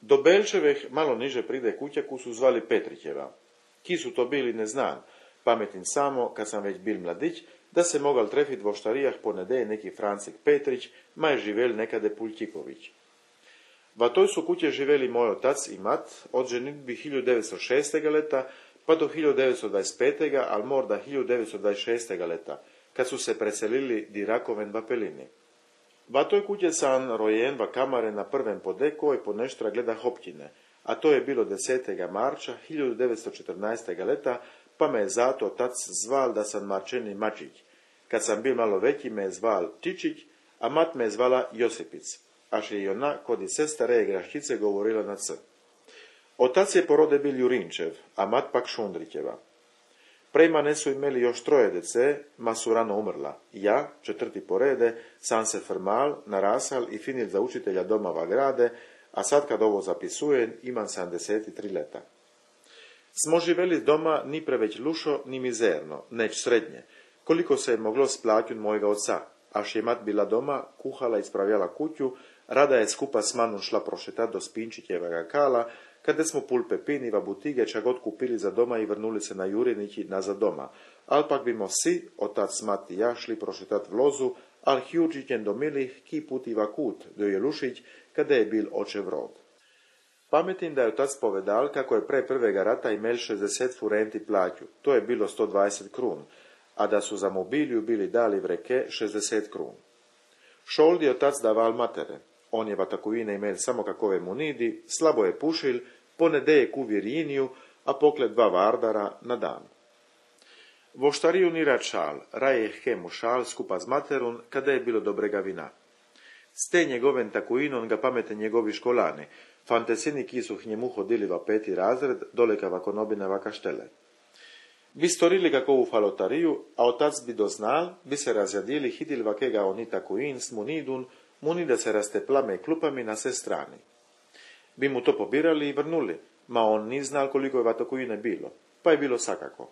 Do Belčeveh malo niže pride kuća koju su zvali Petrićeva. Ki su to bili ne znam, pametim samo, kad sam već bil mladić, da se mogal trefit vo štarijah ponedeje neki Francik Petrić, ma je živel nekade Puljtiković. Va toj su kuće živeli moj otac i mat od ženitbi 1906. leta pa do 1925. al morda 1926. leta, kad su se preselili di Rakoven va Pelini. Va toj kuće sam rojen va kamare na prvem podeko i po neštra gleda Hoptine, a to je bilo 10. marča 1914. leta, pa me je zato otac zval da sam Marčeni Mačić. Kad sam bil malo veći me je zval Čičić, a mat me je zvala Josipic, až je i ona kod i sestare Graščice govorila na c. Otac je po rode bil Jurinčev, a mat pak Šundrićeva. Prejmane su imeli još troje dece, ma su rano umrla. Ja, četvrti po rede, sam se formal, narasal i finil za učitelja doma va grade, a sad kad ovo zapisujem, imam 73 leta. Smo živeli doma ni preveć lušo, ni mizerno, neć srednje, koliko se je moglo splaćun mojega oca, až je mat bila doma, kuhala i spravljala kuću, rada je skupa s manom šla prošetat do Spinčićevega kala, kada smo pulpe piniva butige čak god kupili za doma i vrnuli se na Jurinići nazad doma, al pak bimo si, otac, mat i ja, šli prošetat vlozu, al hjurčićen do milih ki putiva kut, do Jelušić, kada je bil očev rod. Pametim da je otac povedal kako je pre prvega rata imel 60 furenti plaću, to je bilo 120 krun, a da su za mobiliju bili dali vreke 60 krun. Šold je otac daval matere, on je va takovine imel samo kakove munidi, slabo je pušil, ponedeje ku virjiniju, a pokle 2 vardara na dan. Vo štariju ni rad šal, raje hemu šal skupa z materun, kada je bilo dobrega vina. S te njegoven takuinon ga pamete njegovi školani, fantesini ki su h njemu hodili va 5. razred, doleka va konobine va kaštele. Bi storili kakovu falotariju, a otac bi doznal, bi se razjadili hitil vakega oni takuin s munidun, munida se rasteplame klupami na sve strani. Bi mu to pobirali i vrnuli, ma on ni znal koliko je va takuine bilo, pa je bilo sakako.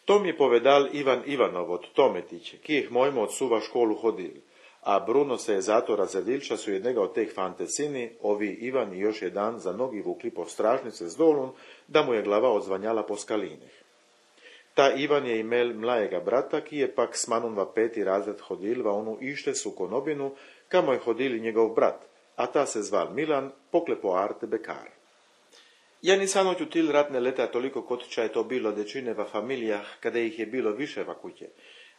To mi je povedal Ivan Ivanov od Tometić, ki jih mojmo od suva školu hodili, a Bruno se je zato razjadil, ča su jednega od teh fantesini, ovi Ivan i još jedan za nogi vukli po stražnice z dolun, da mu je glava odzvanjala po skalinih. Ta Ivan je imel mlajega brata, ki je pak s manom va 5. razred hodil va onu ište su konobinu, kamo je hodili njegov brat, a ta se zval Milan, poklepo arte bekar. Ja nisam oćutil ratne leta toliko kod ča je to bilo dečine va familijah, kada ih je bilo više va kuće.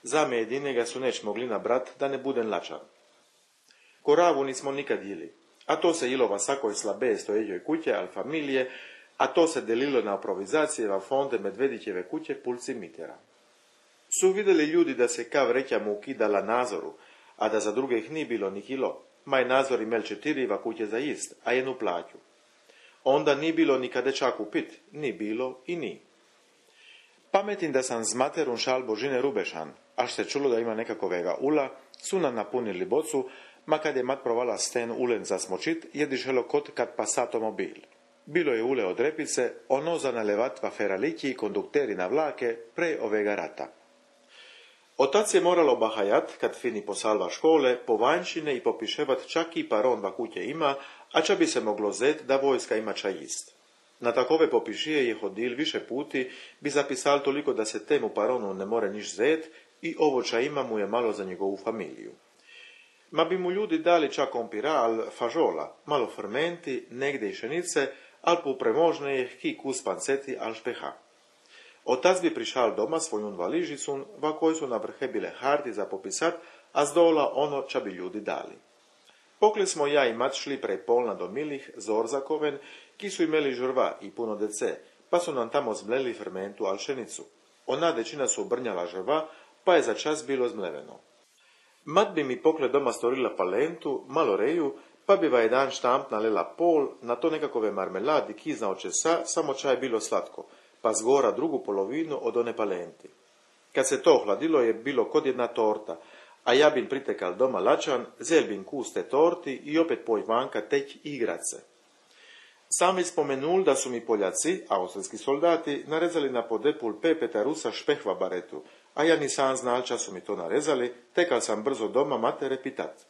Zame jedinega su neć mogli na brat, da ne buden lačan. Koravu nismo nikad jili, a to se jilo va sakoj slabe stojeđoj kuće, al familije, a to se delilo na improvizacije va fonde Medvedićeve kuće pulci mitera. Su vidjeli ljudi da se kav reća mu ukidala nazoru, a da za drugih ni bilo ni kilo, maj nazor imel 4 va kuće za jest, a jednu plaću. Onda ni bilo nikade čak upit, ni bilo i ni. Pametim da sam z materun šal Božine Rubešan, až se čulo da ima nekakovega ula, su nam napunili bocu, ma kad je mat provala sten ulen za smočit, je dišelo kot kad pas automobil. Bilo je ule od repice, ono za nalevat va feralići i kondukteri na vlake pre ovega rata. Otac je moralo bahajat, kad fini posalva škole, po vanjšine i popiševat čak i paron va kuće ima, a ča bi se moglo zet da vojska ima ča jist. Na takove popišije je hodil više puti, bi zapisal toliko da se temu paronu ne more niš zet i ovo ča ima mu je malo za njegovu familiju. Ma bi mu ljudi dali čak kompiral, fažola, malo fermenti, negde i šenice, al po premožne je ki kus panceti al špeha. Otac bi prišal doma svojun valižicun, va koji su na vrhe bile harti za popisat, a z dola ono ča bi ljudi dali. Pokle smo ja i mat šli prej polna do milih, Zorzakoven, ki su imeli žrva i puno dece, pa su nam tamo zmleli fermentu al šenicu. Ona dečina su brnjala žrva, pa je za čas bilo zmleveno. Mat bi mi pokle doma storila palentu, malo reju, pa bi va jedan štamp nalela pol, na to nekakove marmeladi kizna od česa, samo čaj bilo slatko, pa zgora drugu polovinu od one palenti. Kad se to ohladilo je bilo kod jedna torta, a ja bin pritekal doma lačan, zel bin kus te torti i opet poj vanka teć igrat se. Sam bi spomenul da su mi Poljaci, austrijski soldati, narezali na podepul pepeta rusa špehva baretu, a ja nisam znal ča su mi to narezali, tekal sam brzo doma matere pitat.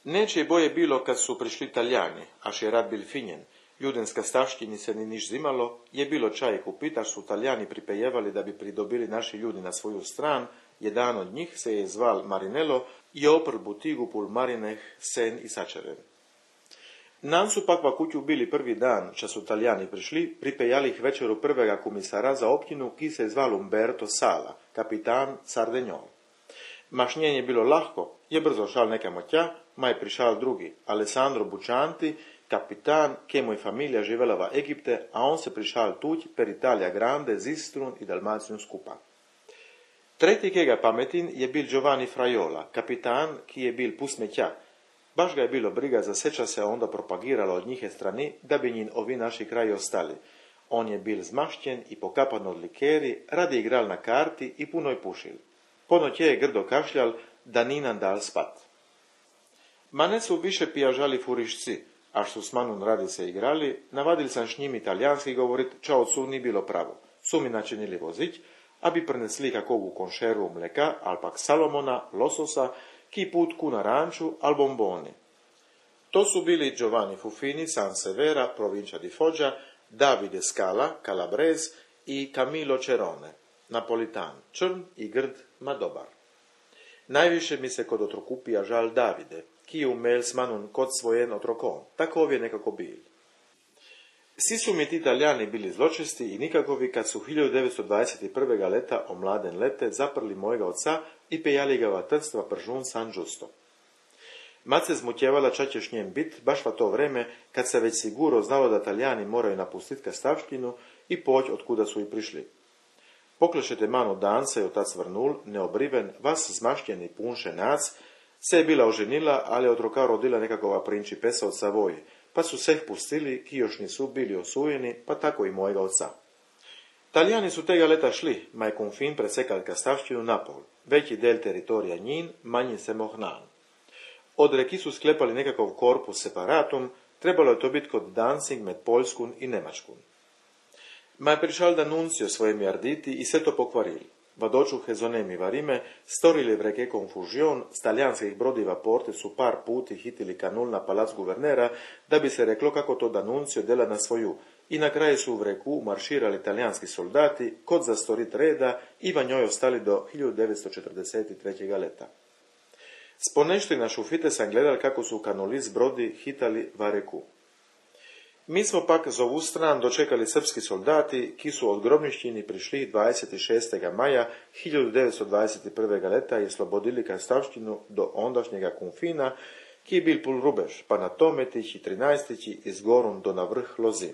Neće boje bilo kad su prišli Talijani, až je rad bil finjen. Ljudenska stavštini se ni niš zimalo, je bilo čaj kupit, až su Talijani pripejevali da bi pridobili naši ljudi na svoju stran. Jedan od njih se je zval Marinello i oprl butigu pul marineh sen i sačeren. Nam su pak va kuću bili prvi dan, ča su Talijani prišli, pripejali ih večeru prvega komisara za općinu, ki se zval Umberto Sala, kapitan Sardenjol. Mašnjen je bilo lahko, je brzo šal nekamo tja, ma je prišal drugi, Alessandro Bučanti, kapitan, ke moj familija živela v Egipte, a on se prišal tuď per Italia Grande, Zistrun i Dalmacijun skupa. Tretji, ke ga pametin, je bil Giovanni Frajola, kapitan, ki je bil pusmetja. Baš ga je bilo briga, za seča se onda propagiralo od njihe strani, da bi njin ovi naši kraji ostali. On je bil zmašćen i pokapan od likeri, radi igral na karti i puno je pušil. Ponoć je grdo kašljal, da ni nam dal spat. Ma ne su više pijažali furišci, až su s manom radi se igrali, navadil sam s njim italijanski govorit, ča od su ni bilo pravo. Su mi načinili vozić, a bi prenesli kakovu konšervu mleka, al pak salomona, lososa, ki putku na ranču, al bomboni. To su bili Giovanni Fufini, Sansevera, provincia di Foggia, Davide Scala, Calabrese i Camilo Cerone, Napolitan, črn i grd, ma dobar. Najviše mi se kod otrokupija žal Davide, ki je umel s manom kod svojen otrokom, takov je nekako bil. Svi su mi ti Italijani bili zločesti i nikakovi kad su 1921. leta o mladen lete zaprli mojega oca i pejali ga v trstva pržun San Giusto. Mat se zmutjevala ča ćeš njem bit, baš va to vreme kad se već siguro znalo da Italijani moraju napustit Kastavštinu i poć od kuda su i prišli. Poklešete manu dan se je otac vrnul, neobriven, vas zmaštjeni punše nac, se je bila oženila, ali od roka rodila nekakova principesa od Savoje, pa su seh pustili, ki još nisu bili osujeni, pa tako i mojega oca. Talijani su tega leta šli, ma je Kunfin presekal Kastavštinu napol, veći del teritorija njin, manji se mohnan. Od reki su sklepali nekakav korpus separatum, trebalo je to biti kod Danzig med Poljskun i Nemačkun. Ma je prišal D'Annunzio svojimi arditi i sve to pokvarili. Vadočuhe zonemi varime, storili v reke konfužion, s talijanskih brodiva porte su par puti hitili kanul na palac guvernera, da bi se reklo kako to D'Annunzio dela na svoju, i na kraju su v reku marširali talijanski soldati, kod za storit reda i va njoj ostali do 1943. leta. S ponešti na šufite sam gledal kako su kanuli s brodi hitali va reku. Mi smo pak z ovu stran dočekali srpski soldati, ki su od Grobnišćini prišli 26. maja 1921. leta i slobodili Kastavštinu do ondašnjega Kunfina, ki je bil pul rubež, pa na Tometić i 13. iz Gorun do na vrh Lozi.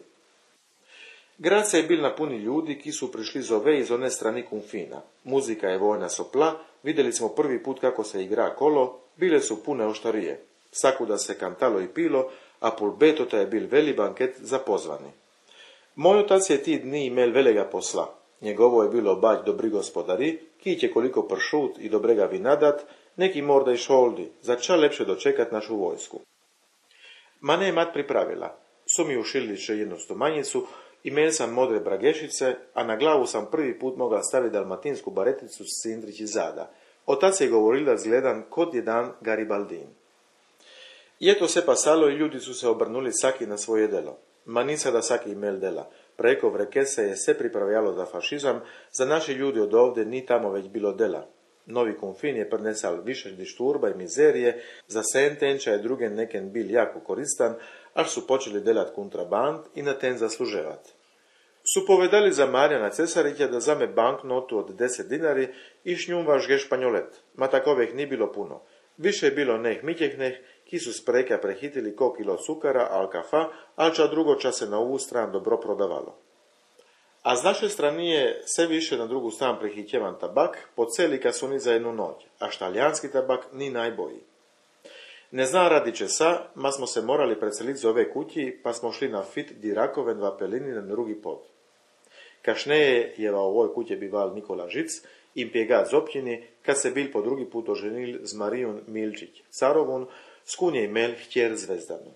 Grad se je bil napuni ljudi, ki su prišli z ove iz one strani Kunfina. Muzika je vojna sopla, vidjeli smo prvi put kako se igra kolo, bile su pune oštarije. Sakuda se kantalo i pilo, a pul betota je bil veli banket za pozvani. Moj otac je ti dni imel velega posla. Njegovo je bilo bać dobri gospodari, ki će koliko pršut i dobrega vina dat, neki morda i šoldi, za ča lepše dočekat našu vojsku. Mane je mat pripravila. Su mi ušili še jednu stomanjicu, imel sam modre bragešice, a na glavu sam prvi put mogla staviti dalmatinsku bareticu s cindrić zada. Otac je govoril da zgledam kod jedan Garibaldin. Je to se pasalo i ljudi su se obrnuli saki na svoje delo. Ma nisa da saki imel dela. Preko v reke se je se pripravljalo za fašizam, za naši ljudi od ovde ni tamo već bilo dela. Novi Kunfin je prinesal više dišturba i mizerije, za sentenča je drugen neken bil jako koristan, až su počeli delat kontraband i na ten zasluževat. Su povedali za Marjana Cesarića da zame banknotu od 10 dinari i šnjum važge španjolet, ma takovih ni bilo puno. Više je bilo neh mitjehneh, ki su spreka prehitili ko kilo cukara, al kafa, al ča drugo ča se na ovu stran dobro prodavalo. A z naše strani je sve više na drugu stran prehitjevan tabak, po celi kasuni za jednu noć, a štaljanski tabak ni najbolji. Ne zna radi česa, ma smo se morali preseliti z ove kutji, pa smo šli na fit dirakoven v Apelini na drugi pod. Kašneje je v ovoj kutje bival Nikola Žic, in pjegat z općini, kad se bil po drugi put oženil z Marijom Milčić, carovun, s kun je imel htjer Zvezdanu.